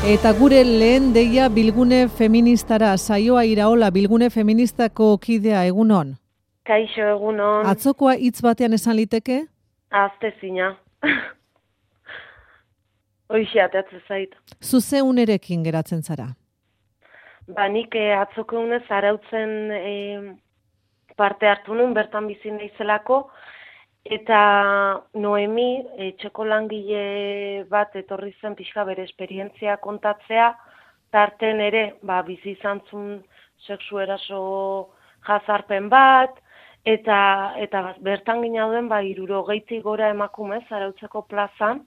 Eta gure lehen deia bilgune feministara, Saioa Iraola, bilgune feministako kidea, egunon? Kaixo, egunon. Atzokoa hitz batean esan liteke? Aztezina. Hoxe ateatzen zait. Zuze unerekin geratzen zara? Nik atzoko unez arautzen parte hartu nun, bertan bizi naizelako, eta Noemi, etxeko langile bat etorri zen pixka bere esperientzia kontatzea, tarten ere, bizi izan zuen sexu eraso jazarpen bat, eta bertan ginauden 60 gora emakumez arautzeko plazan,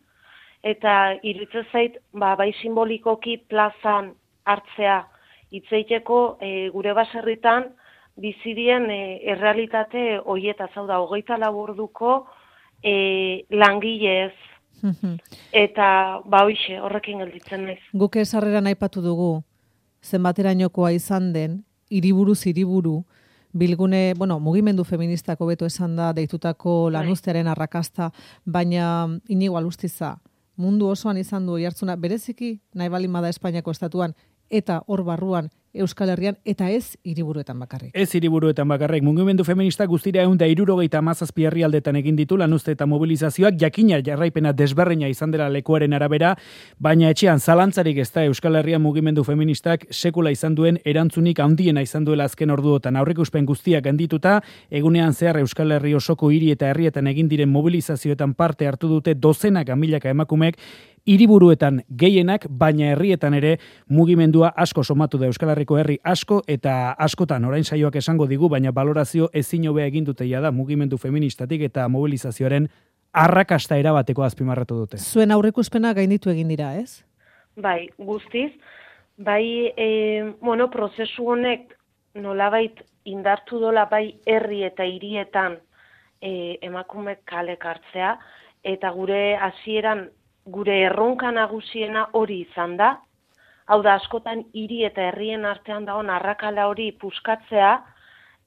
eta iruditzen zait, bai simbolikoki plazan hartzea hitzeiteko gure baserritan bizidien errealitate horietaz, hau da, 24 orduko langilez. Eta hoxe, horrekin gelditzen naiz. Guk esarreran aipatu dugu, zenbaterainokoa izan den, hiriburuz hiriburu, bilgune, mugimendu feministako beto esan da, deitutako lanuztearen arrakasta, baina Inigo Alustiza, mundu osoan izan du oihartzuna, bereziki nahi baldin bada Espainiako estatuan, eta hor barruan Euskal Herrian, eta ez hiriburuetan bakarrik. Ez hiriburuetan bakarrik. Mugimendu feminista guztira 177 herrialdetan egin ditu lanuzte eta mobilizazioak, jakina jarraipena desberreina izan dela lekuaren arabera, baina etxean zalantzarik ez da Euskal Herrian mugimendu feministak sekula izan duen erantzunik handiena izan duela azken orduotan. Aurreikuspen guztiak handituta, egunean zehar Euskal Herri osoko hiri eta herrietan egin diren mobilizazioetan parte hartu dute dozenaka milaka emakumek, hiriburuetan gehienak, baina herrietan ere mugimendua asko somatu da Euskal Herriko herri asko eta askotan orain saioak esango digu, baina balorazio ezin hobea egin dute da mugimendu feministatik eta mobilizazioaren arrakasta erabateko azpimarratu dute. Zuen aurreikuspena gainditu egin dira, ez? Bai, guztiz. Bai, prozesu honek nolabait indartu dola bai herri eta hirietan emakumeek kalek hartzea, eta gure hasieran gure erronka nagusiena hori izan da. Hau da, askotan hiri eta herrien artean dagoen arrakala hori puskatzea,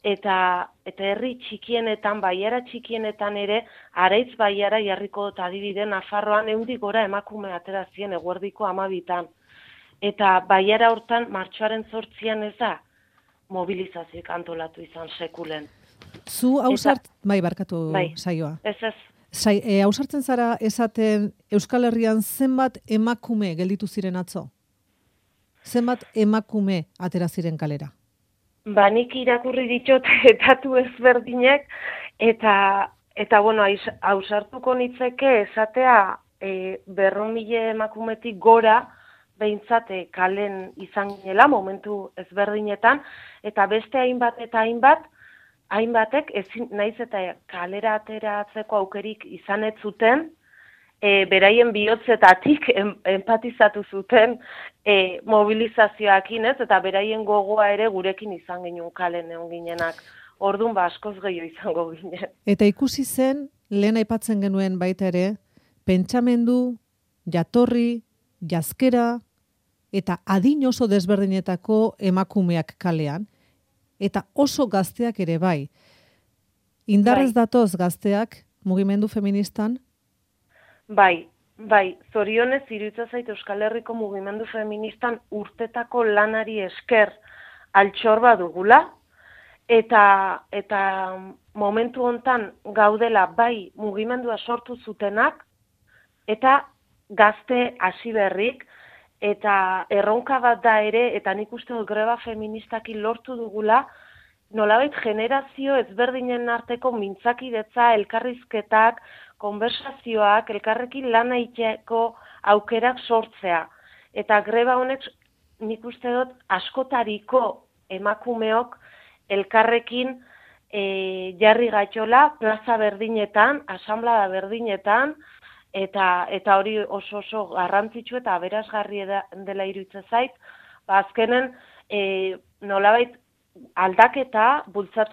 eta herri txikienetan, baiara txikienetan ere, Areitz baiara jarriko dut adibide, Nafarroan 100 gora emakume atera ziren eguerdiko 12. Eta baiara hortan, martxoaren 8 ez da, mobilizazioak antolatu izan sekulen. Zu barkatu Saioa. Ez. Ausartzen zara esaten Euskal Herrian zenbat emakume gelditu ziren atzo? Zenbat emakume atera ziren kalera? Nik irakurri ditut datu ezberdinek, eta ausartuko nitzeke esatea 200.000 emakumetik gora behintzate kalen izan ginela momentu ezberdinetan, eta beste hainbatek naiz eta kalera ateratzeko aukerik izan ez zuten, beraien bihotzetatik empatizatu zuten mobilizazioakin ez, eta beraien gogoa ere gurekin izan genuen kalen egon ginenak. Orduan askoz gehiago izango ginen. Eta ikusi zen, lehen aipatzen genuen baita ere, pentsamendu, jatorri, jazkera, eta adin oso desberdinetako emakumeak kalean, eta oso gazteak ere bai. Indarrez datoz gazteak mugimendu feministan? Bai, zorionez iruditzen zait Euskal Herriko mugimendu feministan urtetako lanari esker altxor badugula, eta momentu hontan gaudela bai mugimendua sortu zutenak, eta gazte hasi berrik, eta erronka bat da ere, eta nik uste dut greba feministakin lortu dugula, nolabait generazio ezberdinen arteko mintzakidetza, elkarrizketak, konversazioak, elkarrekin lan egiteko aukerak sortzea. Eta greba honek nik uste dut askotariko emakumeok elkarrekin jarri gaitxola, plaza berdinetan, asanblada berdinetan, eta hori oso garrantzitsu eta aberasgarri dela iruditzen zait, azkenen nolabait aldaketa,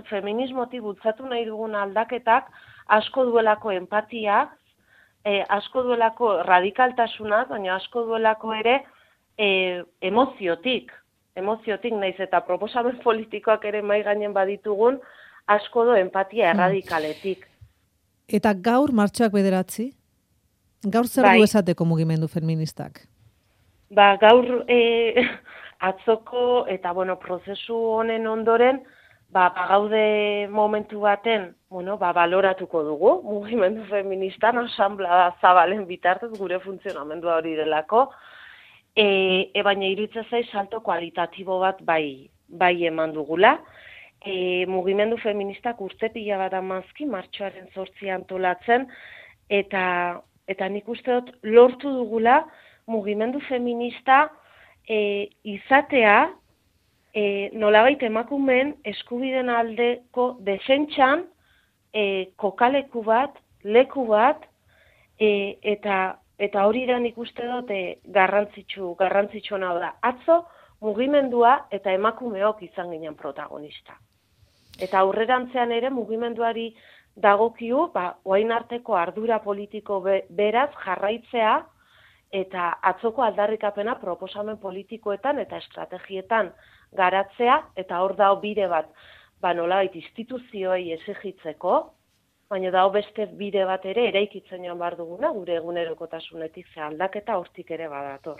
feminismotik bultzatu nahi dugun aldaketak, asko duelako empatia, asko duelako radikaltasuna, baina asko duelako ere emoziotik naiz eta proposamen politikoak ere mahai gainen baditugun, asko du empatia erradikaletik. Eta gaur martxoak 9, gaur zer du esateko mugimendu feministak? gaur atzoko eta prozesu honen ondoren gaude momentu baten, baloratuko dugu, mugimendu feministan, asanblada zabalen bitartez gure funtzionamendua hori delako, baina iruditzen zaiz salto kualitatibo bat bai eman dugula. Mugimendu feministak urte pila bat amazki, martxoaren 8 antolatzen, eta nik uste dut lortu dugula mugimendu feminista izatea, nolabait emakumeen eskubideen aldeko defentsan kokaleku bat, leku bat, eta hori da nik uste dut garrantzitsuena da. Atzo mugimendua eta emakumeok izan ginen protagonista. Eta aurrerantzean ere mugimenduari dagokiu, orain arteko ardura politiko beraz jarraitzea eta atzoko aldarrikapena proposamen politikoetan eta estrategietan garatzea, eta hor dago bide bat, nolabait instituzioei exigitzeko, baina dago beste bide bat ere eraikitzen joan behar duguna, gure egunerokotasunetik ze aldaketa hortik ere badator.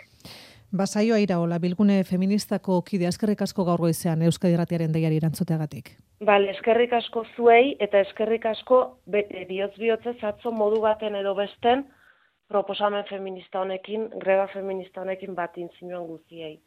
Saioa Iraola, Bilgune Feministako kide, eskerrik asko gaur goizean Euskadi Irratiaren deiari erantzuteagatik. Eskerrik asko zuei, eta eskerrik asko bihotz-bihotzez atzo modu baten edo besten proposamen feminista honekin, greba feminista honekin bat intzinuan guztiei.